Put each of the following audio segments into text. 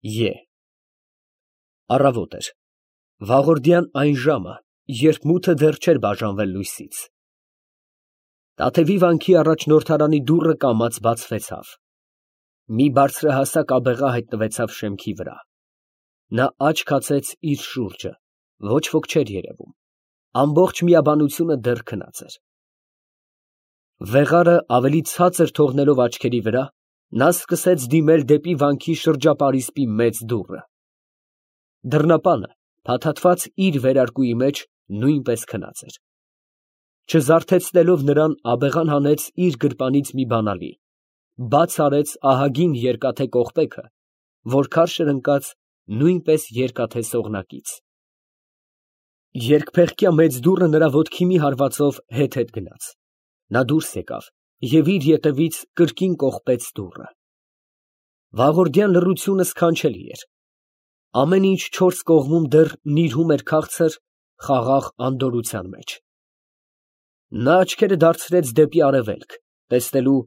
Է Առավոտ էր։ Վաղորդյան այն ժամը, երբ մութը դեռ չէր բաժանվել լույսից։ Տաթևի վանքի առաջնորդարանի դուռը կամաց բացվեցավ։ Մի բարձրահասակ աբեղա հայտնվեցավ շեմքի վրա։ Նա աչք հացեց իր շուրջը, ոչ ոք չէր երևում, ամբողջ միաբանությունը դեռ քնած էր։ Վեղարը ավելի ցածր թողնելով աչքերի վրա, նա սկսեց դիմել դեպի վանքի շրջապարիսպի մեծ դուռը։ Դռնապանը, փաթաթված իր վերարկուի մեջ, նույնպես քնած էր։ Չզարթեցնելով նրան, աբեղան հանեց իր գրպանից մի բանալի, բաց արեց ահագին երկաթե կողպեքը, որ քարշ էր ընկած նույնպես երկաթե սողնակից։ Երկփեղկյա մեծ դուռը նրա ոտքի մի հարվածով հետ գնաց։ Նա դուրս եկավ և իր ետևից կրկին կողպեց դուռը։ Վաղորդյան լռությունը սքանչելի էր։ Ամեն ինչ չորս կողմում դեռ նիրհում էր քաղցր, խաղաղ անդորրության մեջ։ Նա աչքերը դարձրեց դեպի արևելք, տեսնելու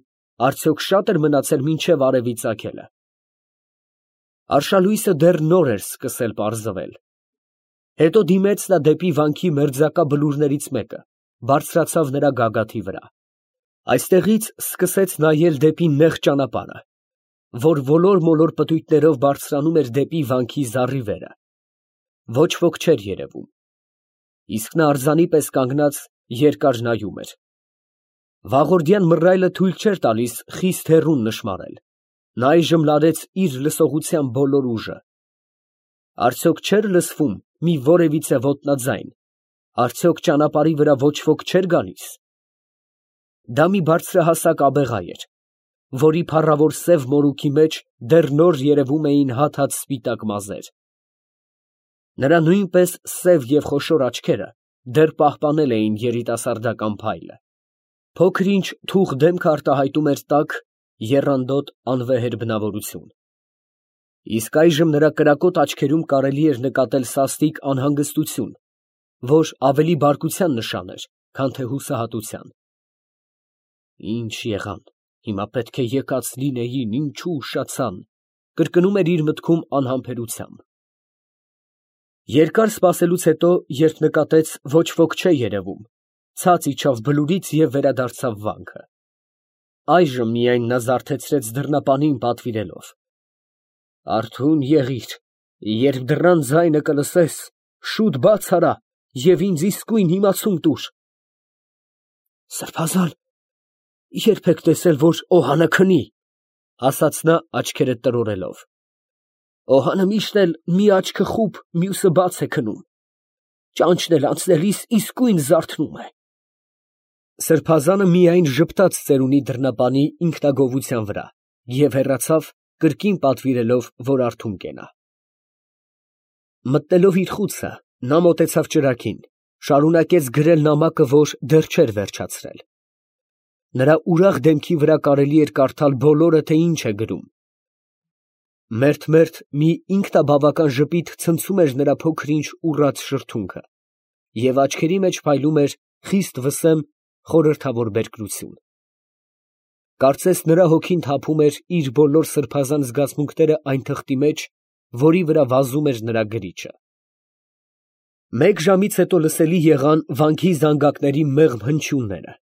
արդյոք շատ էր մնացել մինչև արևի ծագելը։ Արշալույսը դեռ նոր էր սկսել պարզվել։ Հետո դիմեց նա դեպի վանքի մերձակա բլուրներից մեկը, բարձրացավ նրա գագաթի վրա։ Այստեղից սկսեց նայել դեպի նեղ ճանապարհը, որ ոլոր-մոլոր պտույտներով բարձրանում էր դեպի վանքի զառիվերը։ Ոչ ոք չէր երևում, իսկ նա արձանի պես կանգնած երկար նայում էր։ Վաղորդյան մռայլը թույլ չէր տալիս խիստ հեռուն նշմարել։ Նա այժմ լարեց իր լսողության բոլոր ուժը։ Արդյոք չէր լսվում մի որևիցե ոտնաձայն, արդյոք ճանապարհի վրա ոչ ոք չէր գալիս։ Դա մի բարձրահասակ աբեղա էր, որի փառավոր սև մորուքի մեջ դեռ նոր երևում էին հատ-հատ սպիտակ մազեր։ Նրա նույնպես սև և խոշոր աչքերը դեռ պահպանել էին երիտասարդական փայլը։ Փոքր ինչ թուխ դեմքը արտահայտում էր տաք, եռանդոտ անվեհեր բնավորություն։ Իսկ այժմ նրա կրակոտ աչքերում կարելի էր նկատել սաստիկ անհանգստություն, որ ավելի բարկության նշան էր, քան թե հուսահատության։ Ինչ եղան, հիմա պետք է եկած լինեին, ինչու ուշացան, կրկնում էր իր մտքում անհամբերությամբ։ Երկար սպասելուց հետո, երբ նկատեց ոչ ոք չէ երևում, ցած իջավ բլուրից և վերադարձավ վանքը։ Այժմ միայն նա զարթեցրեց դռնապանին պատվիրելով. «Արթուն եղիր, երբ դռան ձայնը կլսես, շուտ բաց արա և ինձ իսկույն իմացում տուր»։ «Սրբազան, ե՞րբ եք տեսել, որ օհանը քնի», ֊ ասաց նա աչքերը տրորելով։ «Օհանը միշտ էլ մի աչքը խուլ, մյուսը բաց է քնում, ճանճն էլ անցնելիս իսկույն զարթնում է»։ Սրբազանը միայն ժպտաց ծերունի դռնապանի ինքնագովության վրա և հեռացավ, կրկին պատվիրելով, որ արթուն կենա։ Մտնելով իր խուցը, նա մոտեցավ ճրագին, շարունակեց գրել նամակը, որ դեռ չէր վերջացրել։ Նրա ուրախ դեմքի վրա կարելի էր կարդալ բոլորը, թե ինչ է գրում։ Մերթ մի ինքնաբավական ժպիտ ցնցում էր նրա փոքր-ինչ ուռած շրթունքը, և աչքերի մեջ փայլում էր խիստ վսեմ, խորհրդավոր բերկրություն։ Կարծես նրա հոգին թափում էր իր բոլոր սրբազան զգացմունքները այն թղթի մեջ, որի վրա վազում էր նրա գրիչը։ Մեկ ժամից հետո լսելի եղան վանքի զանգակների մեղմ հնչյունները։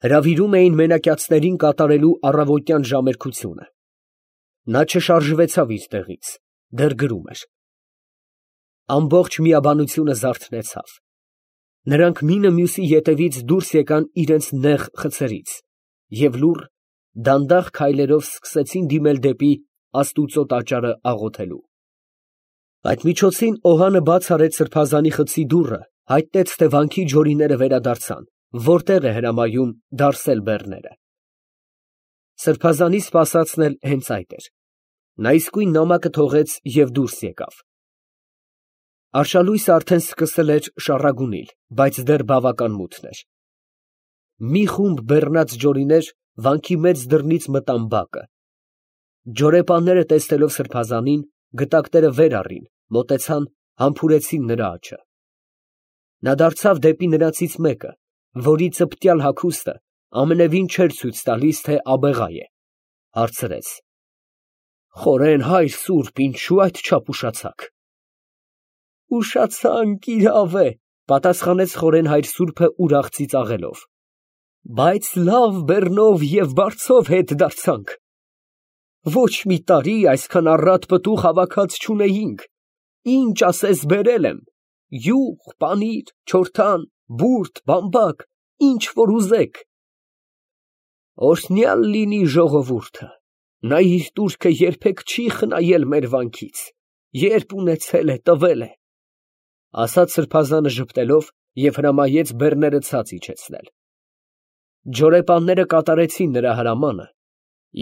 Հրավիրում էին մենակյացներին կատարելու առավոտյան ժամերգությունը։ Նա չշարժվեցավ իր տեղից, դեռ գրում էր։ Ամբողջ միաբանությունը զարթնեցավ։ Նրանք մինը մյուսի ետևից դուրս եկան իրենց նեղ խցերից և լուռ, դանդաղ քայլերով սկսեցին դիմել դեպի աստուծո տաճարը աղոթելու։ Այդ միջոցին օհանը բաց արեց սրբազանի խցի դուռը, հայտնեց, թե վանքի ջորիները վերադարձան, որտեղ է հրամայում դարսել բեռները։ Սրբազանի սպասածն էլ հենց այդ էր։ Նա իսկույն նամակը թողեց և դուրս եկավ։ Արշալույսը արդեն սկսել էր շառագունել, բայց դեռ բավական մութն էր։ Մի խումբ բեռնած ջորիներ վանքի մեծ դռնից մտան բակը։ Ջորեպանները տեսնելով սրբազանին, գտակները վեր առին, մոտեցան, համբուրեցին նրա աջը։ Նա դարձավ դեպի նրանցից մեկը, որի ծպտյալ հագուստը ամենևին չէր ցույց տալիս, թե աբեղա է, հարցրեց. Խորեն հայր սուրբ, ինչու այդչափ ուշացաք։ Ուշացանք, իրավ է, պատասխանեց խորեն հայր սուրբը ուրախ ծիծաղելով։ Բայց լավ բեռնով և բարձով հետ դարձանք։ Ոչ մի տարի այսքան առատ պտուղ հավաքած չունեինք, ինչ ասես բերել եմ, յուղ, պանիր, չորթան, բուրդ, բամբակ, ինչ որ ուզեք։ Օրհնյալ լինի ժողովուրդը, նա իր տուրքը երբեք չի խնայել մեր վանքից, երբ ունեցել է, տվել է, ասաց սրբազանը ժպտելով և հրամայեց բեռները ցած իջեցնել։ Ջորեպանները կատարեցին նրա հրամանը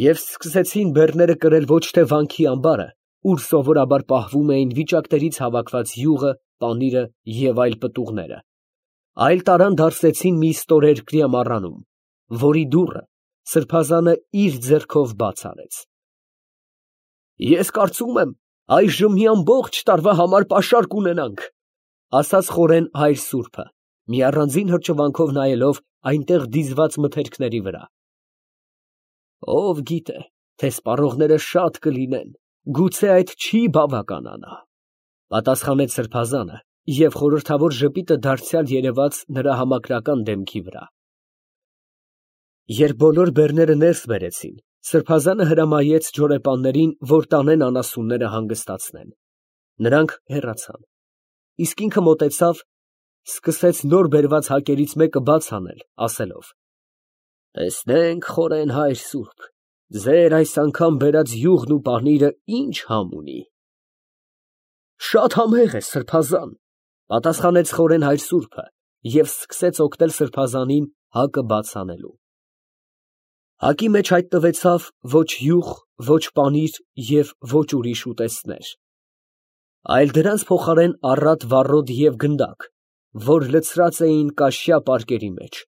և սկսեցին բեռները կրել ոչ թե վանքի ամբարը, ուր սովորաբար պահվում էին վիճակներից հավաքված յուղը, պանիրը և այլ պտուղները, այլ տարան դարսեցին մի ստորերկրյա մառանում, որի դուռը սրբազանը իր ձեռքով բաց արեց։ Ես կարծում եմ, այժմ մի ամբողջ տարվա համար պաշար կունենանք, ասաց խորեն հայր սուրբը, մի առանձին հրճվանքով նայելով այնտեղ դիզված մթերքների վրա։ Ով գիտե, թե սպառողները շատ կլինեն, գուցե այդ չի բավականանա, պատասխանեց սրբազանը և խորհրդավոր ժպիտը դարձյալ երևաց նրա համակրական դեմքի վրա։ Երբ բոլոր բեռները ներս բերեցին, սրբազանը հրամայեց ջորեպաններին, որ տանեն անասունները հանգստացնեն։ Նրանք հեռացան, իսկ ինքը մոտեցավ, սկսեց նոր բերված հակերից մեկը բաց անել, ասելով. Տեսնենք, խորեն հայր սուրբ, ձեր այս անգամ բերած յուղն ու պանիրը ինչ համ ունի։ Շատ համեղ է, սրբազան, պատասխանեց խորեն հայր սուրբը և սկսեց օգնել սրբազանին հակը բաց անելու։ Հակի մեջ հայտնվեցավ ոչ յուղ, ոչ պանիր և ոչ ուրիշ ուտեստներ, այլ դրանց փոխարեն առատ վառոդ և գնդակ, որ լցրած էին կաշյա պարկերի մեջ։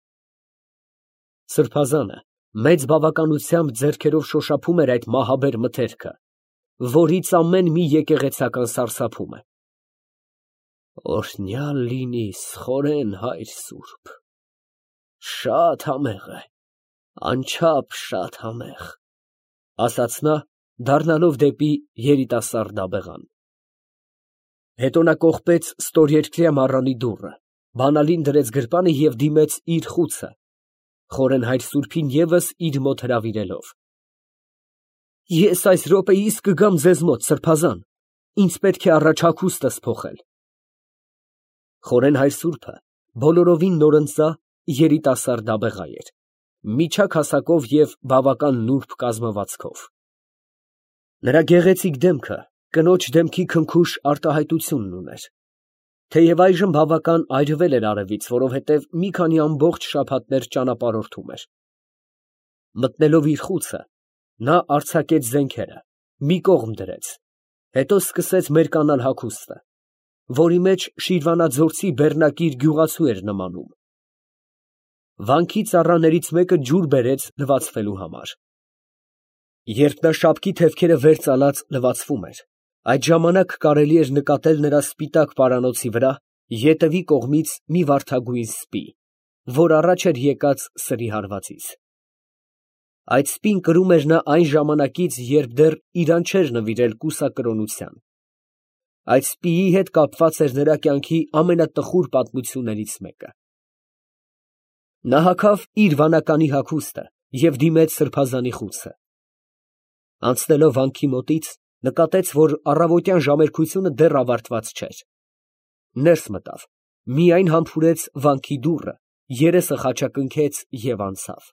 Սրբազանը մեծ բավականությամբ ձեռքերով շոշափում էր այդ մահաբեր մթերքը, որից ամեն մի եկեղեցական սարսափում է։ Օրհնյալ լինիս, խորեն հայր սուրբ, շատ համեղ է, անչափ շատ համեղ, ասաց նա, դառնալով դեպի երիտասարդ աբեղան։ Հետո նա կողպեց ստորերկրյա մառանի դուռը, բանալին դրեց գրպանը և դիմեց իր խուցը, խորեն հայր սուրբին ևս իր մոտ հրավիրելով։ Ես այս րոպեիս կգամ ձեզ մոտ, սրբազան, ինձ պետք է առաջ հագուստս փոխել։ Խորեն հայր սուրբը բոլորովին նորընծա երիտասարդ աբեղա էր, միջակ հասակով և բավական նուրբ կազմվածքով։ Նրա գեղեցիկ դեմքը կնոջ դեմքի քնքուշ արտահայտությունն ուներ, թեև այժմ բավական այրվել էր արևից, որովհետև մի քանի ամբողջ շաբաթներ ճանապարհորդում էր։ Մտնելով իր խուցը, նա արձակեց զենքերը, մի կողմ դրեց, հետո սկսեց մերկանալ հագուստը, որի մեջ շիրվանաձորցի բեռնակիր գյուղացու էր նմանում։ Վանքի ծառաներից մեկը ջուր բերեց լվացվելու համար։ Երբ նա շապկի թևքերը վեր ծալած լվացվում էր, այդ ժամանակ կարելի էր նկատել նրա սպիտակ պարանոցի վրա ետևի կողմից մի վարդագույն սպի, որ առաջ էր եկած սրի հարվածից։ Այդ սպին կրում էր նա այն ժամանակից, երբ դեռ իրան չէր նվիրել կուսակրոնության։ Այդ սպիի հետ կապված էր նրա կյանքի ամենատխուր պատմություններից մեկը։ Նա հագավ իր վանականի հագուստը և դիմեց սրբազանի խուցը։ Անցնելով վանքի մոտից, նկատեց, որ առավոտյան ժամերկությունը դեռ ավարտված չէր։ Ներս մտավ, միայն համբուրեց վանքի դուռը, երեսը խաչակնքեց և անցավ։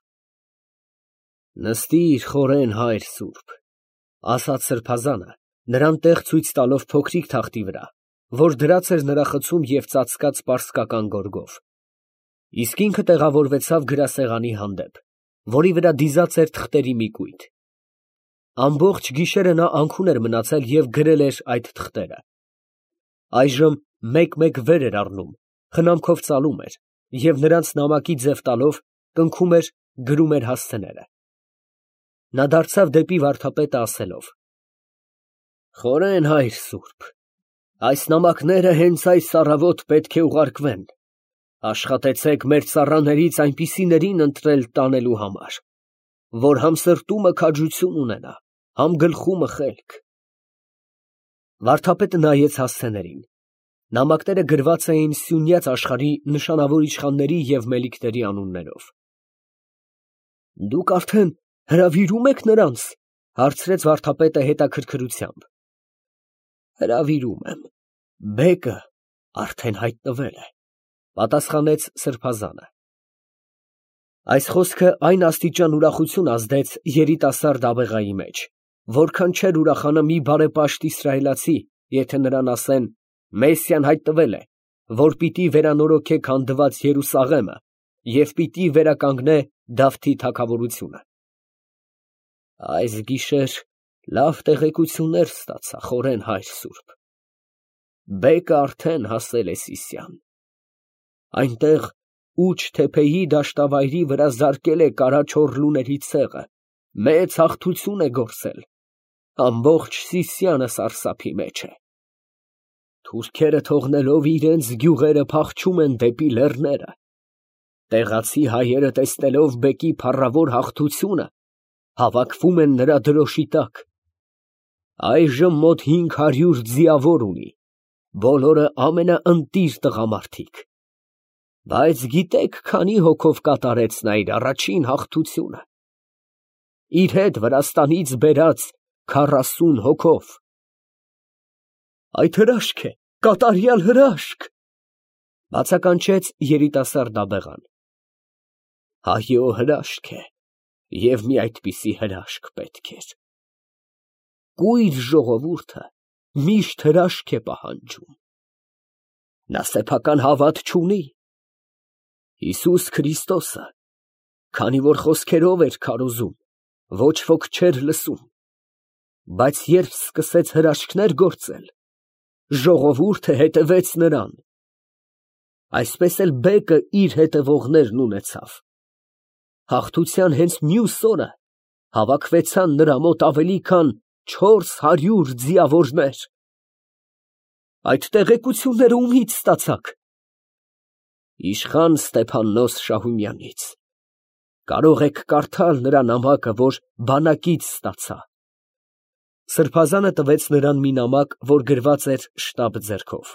Նստիր, խորեն հայր սուրբ, ասաց սրբազանը, նրան տեղ ցույց տալով փոքրիկ թախտի վրա, որ դրած էր նրա խցում և ծածկած պարսկական գորգով։ Իսկ ինքը տեղավորվեցավ գրասեղանի հանդեպ, որի վրա դիզած էր թղթերի մի կույտ։ Ամբողջ գիշերը նա անքուն էր մնացել և գրել էր այդ թղթերը։ Այժմ մեկ-մեկ վեր էր առնում, խնամքով ծալում էր և նրանց նամակի ձև տալով կնքում էր, գրում էր հասցեները։ Նա դարձավ դեպի վարդապետը ասելով. Խորեն հայր սուրբ, այս նամակները հենց այս առավոտ պետք է ուղարկվեն, աշխատեցեք մեր ծառաներից այնպիսիներին ընտրել տանելու համար, որ համսրտումը քաջություն ունենա համ գլխումը խելք։ Վարդապետը նայեց հասցեներին։ Նամակները գրված էին Սյունյաց աշխարհի նշանավոր իշխանների և մելիքների անուններով։ Դուք արդեն հրավիրում եք նրանց, հարցրեց վարդապետը հետաքրքրությամբ։ Հրավիրում եմ, բեկը արդեն հայտնվել է, պատասխանեց սրբազանը։ Այս խոսքը այն աստիճան ուրախություն ազդեց երիտասարդ աբեղայի մեջ, որքան չէր ուրախանա մի բարեպաշտ իսրայելացի, եթե նրան ասեն. Մեսիան հայտնվել է, որ պիտի վերանորոգե քանդված Երուսաղեմը և պիտի վերականգնե Դավթի թագավորությունը։ Այս գիշեր լավ տեղեկություններ ստացա, խորեն հայր սուրբ։ Բեկը արդեն հասել է Սիսիան։ Այնտեղ Ուչ թեփեի դաշտավայրի վրա զարկել է կարա չոր լուների ցեղը, մեծ հաղթություն է գործել, ամբողջ Սիսիանը սարսափի մեջ է։ Թուրքերը թողնելով իրենց գյուղերը փախչում են դեպի լեռները։ Տեղացի հայերը տեսնելով բեկի փառավոր հաղթությունը, հավաքվում են նրա դրոշի տակ։ Այժմ մոտ 500 ձիավոր ունի, բոլորը ամենաընտիր տղամարդիկ։ Բայց գիտեք, քանի հոգով կատարեց նա իր առաջին հաղթությունը։ Իր հետ Վրաստանից բերած 40 հոգով։ Այդ հրաշք է, կատարյալ հրաշք, բացականչեց երիտասարդ աբեղան։ Այո, հրաշք է, և մի այդպիսի հրաշք պետք էր։ Կույր ժողովուրդը միշտ հրաշք է պահանջում։ Նա սեփական հավատ չունի։ Հիսուս Քրիստոսը, քանի որ խոսքերով էր քարոզում, ոչ ոք չէր լսում, բայց երբ սկսեց հրաշքներ գործել, ժողովուրդը հետևեց նրան։ Այսպես էլ բեկը իր հետևողներն ունեցավ։ Հաղթության հենց մյուս օրը հավաքվեցան նրա մոտ ավելի քան 400 ձիավորներ։ Այդ տեղեկությունները ումից ստացաք։ Իշխան Ստեփաննոս Շահումյանից։ Կարող եք կարդալ նրա նամակը, որ բանակից ստացա։ Սրբազանը տվեց նրան մի նամակ, որ գրված էր շտապ ձեռքով։